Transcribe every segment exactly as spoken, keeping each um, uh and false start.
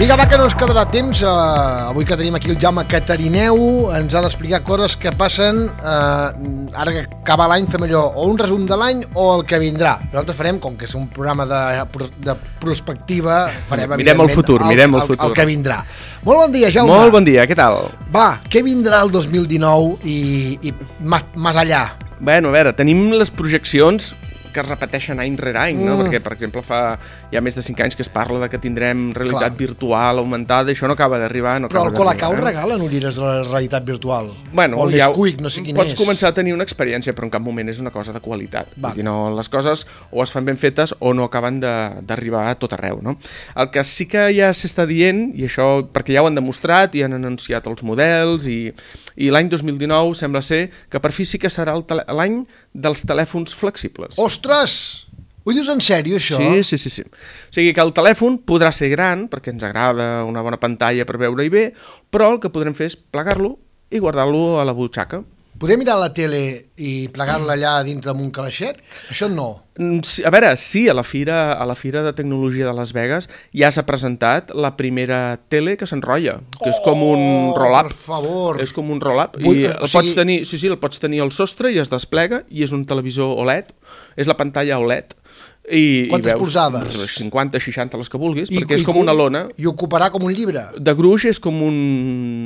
Vinga, va, que no ens quedarà temps. Uh, avui que tenim aquí el Jaume Catarineu ens ha d'explicar coses que passen uh, ara que acaba l'any, fem allò o un resum de l'any o el que vindrà. Nosaltres farem, com que és un programa de, de prospectiva, farem mirem el futur, el, mirem el, el, futur. el que vindrà. Molt bon dia, Jaume. Molt bon dia, què tal? Va, què vindrà el dos mil dinou i, i més, més allà? Bueno, a veure, tenim les projeccions que es repeteixen any rere any, no? Mm. Perquè, per exemple, fa ja més de cinc anys que es parla de que tindrem realitat Clar. virtual augmentada, i això no acaba d'arribar. No Però acaba al Colacau eh? regalen ulleres de la realitat virtual. Bueno, o el ja Nesquik, no sé quin pots és. començar a tenir una experiència, però en cap moment és una cosa de qualitat. Vale. Vull dir, no, les coses o es fan ben fetes o no acaben d'arribar a tot arreu, no? El que sí que ja s'està dient, i això perquè ja ho han demostrat i han anunciat els models, i, i l'any dos mil dinou sembla ser que per fi sí que serà l'any dels telèfons flexibles. Ostres! Ho dius en sèrio, això? Sí, sí, sí, sí. O sigui que el telèfon podrà ser gran, perquè ens agrada una bona pantalla per veure-hi bé, però el que podrem fer és plegar-lo i guardar-lo a la butxaca. Podem mirar la tele i plegar-la allà dintre amb un calaixet? Això no. A veure, sí, a la fira, a la Fira de Tecnologia de Las Vegas ja s'ha presentat la primera tele que s'enrotlla, que és com un roll-up. Per favor. És com un roll-up. Vull, I o el sigui... pots tenir, sí, sí, el pots tenir al sostre i es desplega, i és un televisor O L E D, és la pantalla O L E D. I, Quantes i veus, polzades? cinquanta, seixanta, les que vulguis, I, perquè és i, com una lona. I ocuparà com un llibre. De gruix és com un,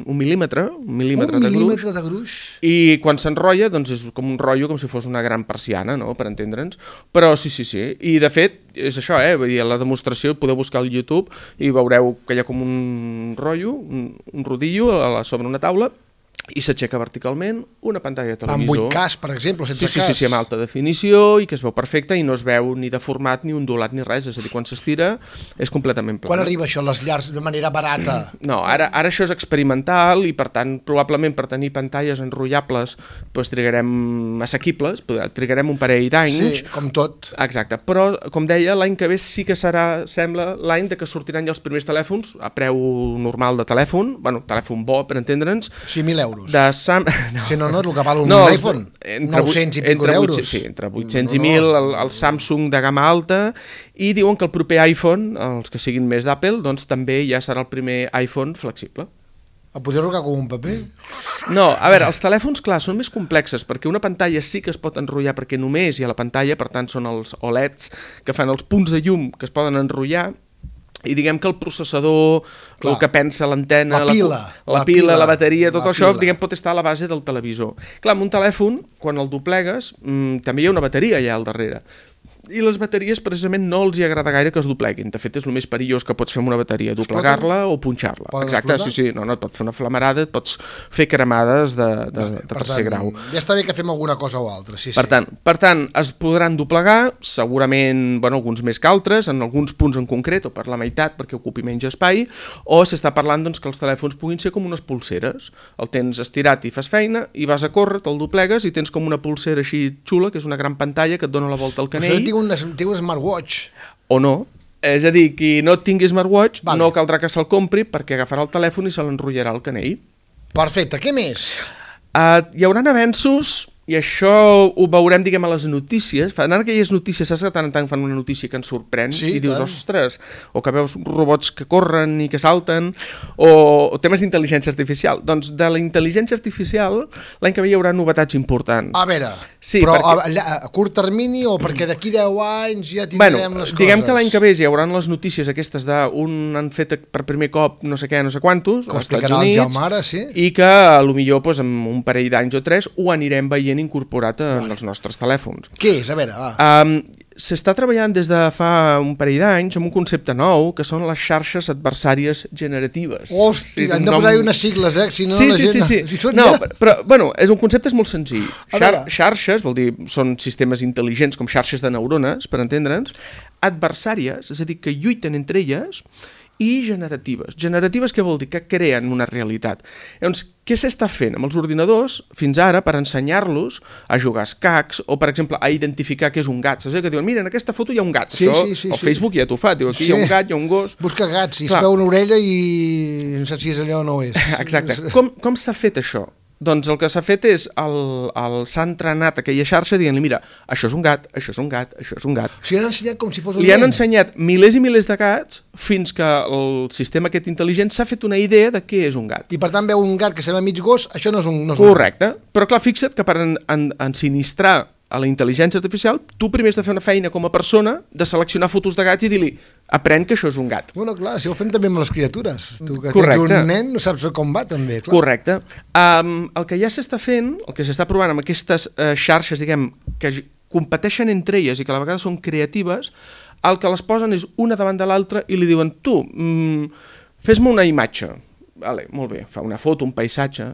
un mil·límetre, un mil·límetre, un de, mil·límetre gruix. de gruix. I quan s'enrotlla, doncs és com un rotllo, com si fos una gran persiana, no?, per entendre'ns. Però sí, sí, sí. I de fet, és això, eh? Vull dir, a la demostració podeu buscar al YouTube i veureu que hi ha com un rotllo, un, un rodillo a la, sobre una taula, i s'aixeca verticalment una pantalla de televisor. Amb vuit K, per exemple, sense sí, sí, cas. Sí, sí, amb alta definició, i que es veu perfecte i no es veu ni deformat, ni ondulat, ni res. És a dir, quan s'estira és completament pla. Quan arriba això a les llars de manera barata? No, ara, ara això és experimental i, per tant, probablement per tenir pantalles enrotllables doncs, trigarem assequibles, trigarem un parell d'anys. Sí, com tot. Exacte, però, com deia, l'any que ve sí que serà, sembla, l'any de que sortiran ja els primers telèfons a preu normal de telèfon, bueno, telèfon bo, per entendre'ns. cinc mil euros. De Sam... no. Si no, no és el que val un no, iPhone. nou-cents i pico d'euros. Sí, entre vuit-cents i mil, el, el Samsung de gamma alta, i diuen que el proper iPhone, els que siguin més d'Apple, doncs també ja serà el primer iPhone flexible. El podeu rogar com un paper? No, a veure, els telèfons, clar, són més complexes, perquè una pantalla sí que es pot enrotllar, perquè només hi ha la pantalla, per tant són els O L E Ds que fan els punts de llum que es poden enrotllar, i diguem que el processador, Clar. el que pensa l'antena, la pila, la, la, la, pila, pila, la bateria, tot la això, pila. diguem, pot estar a la base del televisor. Clar, amb un telèfon, quan el doblegues, mmm, també hi ha una bateria allà al darrere. I les bateries precisament no els hi agrada gaire que es dobleguin. De fet, és el més perillós que pots fer amb una bateria, doblegar-la o punxar-la. Exacte, explotar? sí, sí, no, no, et pot fer una flamarada, et pots fer cremades de, de, vale, de tercer tant, grau. Ja està bé que fem alguna cosa o altra, sí, per sí. Tant, per tant, es podran doblegar, segurament, bueno, alguns més que altres, en alguns punts en concret, o per la meitat, perquè ocupi menys espai, o s'està parlant doncs, que els telèfons puguin ser com unes pulseres. El tens estirat i fas feina, i vas a córrer, te'l doblegues, i tens com una pulsera així xula, que és una gran pantalla que et dona la volta al canell. Però tinc un, tinc un smartwatch. O no. És a dir, qui no tingui smartwatch vale. no caldrà que se'l compri, perquè agafarà el telèfon i se l'enrotllarà al canell. Perfecte, què més? Uh, hi haurà avenços, i això ho veurem, diguem, a les notícies. Fan aquelles notícies, saps que tant en tant fan una notícia que ens sorprèn, sí, i dius, tant. ostres, o que veus robots que corren i que salten, o, o temes d'intel·ligència artificial. Doncs de la intel·ligència artificial l'any que ve hi haurà novetats importants. A veure, sí, però perquè... a, a curt termini o perquè d'aquí deu anys ja tindrem bueno, les coses? Diguem que l'any que ve hi haurà les notícies aquestes d'un han fet per primer cop no sé què, no sé quantos, com als Estats explicarà Units, el Jaume ara, sí? I que potser pues, en un parell d'anys o tres ho anirem veient incorporat en vale. els nostres telèfons. Què és? A veure, va. Um, S'està treballant des de fa un parell d'anys amb un concepte nou, que són les xarxes adversàries generatives. Hòstia, sí, hem de nom... posar-hi unes sigles, eh? Si no, sí, la sí, gent... sí, sí. Si són no, ja... però, bueno, és un concepte és molt senzill. Xar xarxes, vol dir, són sistemes intel·ligents com xarxes de neurones, per entendre'ns, adversàries, és a dir, que lluiten entre elles, i generatives. Generatives què vol dir? Que creen una realitat. Llavors, què s'està fent amb els ordinadors fins ara per ensenyar-los a jugar a escacs o, per exemple, a identificar què és un gat? Saps que diuen, mira, en aquesta foto hi ha un gat. Sí, Això, sí, sí, el sí. Facebook ja t'ho fa. Diu, aquí sí. hi ha un gat, hi ha un gos... Busca gats, i Clar. es veu una orella i no saps si és allò o no és. Exacte. Com, com s'ha fet això? Doncs el que s'ha fet és, el, el, s'ha entrenat aquella xarxa dient-li, mira, això és un gat, això és un gat, això és un gat. O sigui, han ensenyat com si fos un Li han nen. ensenyat milers i milers de gats fins que el sistema aquest intel·ligent s'ha fet una idea de què és un gat. I per tant veu un gat que sembla mig gos, això no és un, no és un Correcte, però clar, fixa't que per en, en, ensinistrar a la intel·ligència artificial, tu primer has de fer una feina com a persona de seleccionar fotos de gats i dir-li, aprèn que això és un gat. Bueno, clar, si ho fem també amb les criatures. Tu que Correcte. tens un nen no saps com va, també. Clar. Correcte. Um, el que ja s'està fent, el que s'està provant amb aquestes uh, xarxes, diguem, que competeixen entre elles i que a la vegada són creatives, el que les posen és una davant de l'altra i li diuen, tu, mm, fes-me una imatge. Vale, molt bé, fa una foto, un paisatge,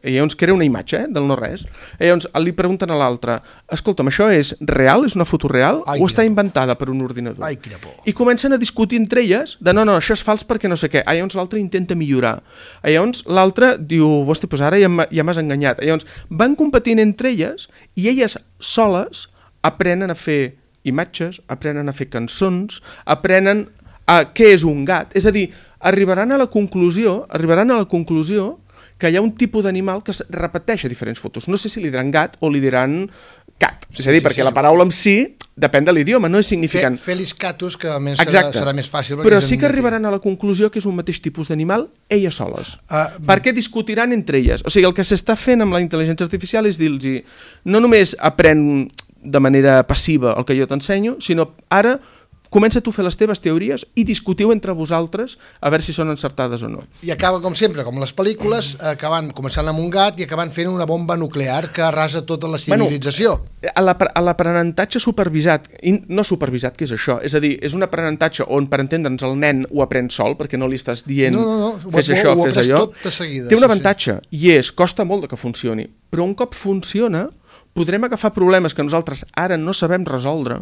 i llavors crea una imatge, eh, del no-res. I llavors li pregunten a l'altre, escolta'm, això és real, és una foto real, Ai, o està quina inventada per un ordinador? Ai, quina por. I comencen a discutir entre elles de no, no, això és fals perquè no sé què. Ah, llavors l'altre intenta millorar. Ah, llavors l'altre diu, hosti, doncs ara ja m'ha- ja m'has enganyat. Ah, llavors van competint entre elles i elles soles aprenen a fer imatges, aprenen a fer cançons, aprenen a què és un gat. És a dir, arribaran a la conclusió, arribaran a la conclusió que hi ha un tipus d'animal que es repeteix a diferents fotos. No sé si li diran gat o li diran cat. És a dir, sí, perquè sí, la sí. paraula en si depèn de l'idioma, no és Fe, significant. Felis catus, que a més serà, Exacte. serà més fàcil. perquè Però és sí en que llatí. arribaran a la conclusió que és un mateix tipus d'animal elles soles. Ah, Perquè discutiran entre elles. O sigui, el que s'està fent amb la intel·ligència artificial és dir-los, no només aprèn de manera passiva el que jo t'ensenyo, sinó ara comença tu a fer les teves teories i discutiu entre vosaltres a veure si són encertades o no. I acaba, com sempre, com les pel·lícules, acabant començant amb un gat i acabant fent una bomba nuclear que arrasa tota la civilització. A l'apre- a l'aprenentatge supervisat, i no supervisat, què és això? És a dir, és un aprenentatge on, per entendre'ns, el nen ho aprèn sol, perquè no li estàs dient No, no, no, ho- fes ho- això, ho fes aprens allò. tot de seguida, Té un sí, avantatge, i és, costa molt de que funcioni, però un cop funciona, podrem agafar problemes que nosaltres ara no sabem resoldre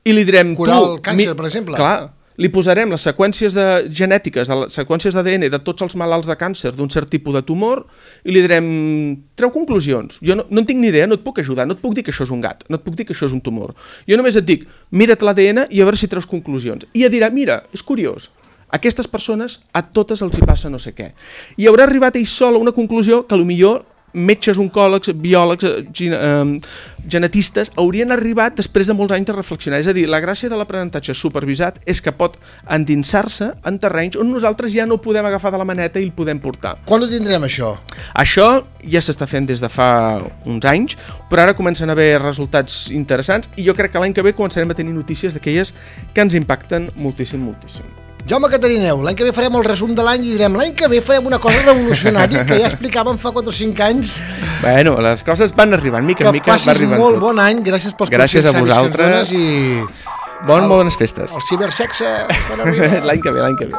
i li direm... Curar tu, el càncer, per exemple. Clar, li posarem les seqüències de genètiques, de les seqüències d'A D N de tots els malalts de càncer d'un cert tipus de tumor i li direm, treu conclusions. Jo no, no en tinc ni idea, no et puc ajudar, no et puc dir que això és un gat, no et puc dir que això és un tumor. Jo només et dic, mira't l'A D N i a veure si treus conclusions. I et dirà, mira, és curiós, a aquestes persones a totes els hi passa no sé què. I haurà arribat ell sol a una conclusió que potser metges, oncòlegs, biòlegs, eh, gen eh, genetistes haurien arribat després de molts anys de reflexionar. És a dir, la gràcia de l'aprenentatge supervisat és que pot endinsar-se en terrenys on nosaltres ja no ho podem agafar de la maneta i el podem portar. Quan ho tindrem, això? Això ja s'està fent des de fa uns anys, però ara comencen a haver resultats interessants i jo crec que l'any que ve començarem a tenir notícies d'aquelles que ens impacten moltíssim, moltíssim. Jaume Catarineu, l'any que ve farem el resum de l'any i direm l'any que ve farem una cosa revolucionària que ja explicàvem fa quatre o cinc anys. Bueno, les coses van arribant, mica Que en mica va passis arribant molt tot. bon any, gràcies pels Gràcies a consells savis que ens vosaltres. dones i Bon, el- bones festes. el cibersexe quan arriba. L'any que ve, l'any que ve.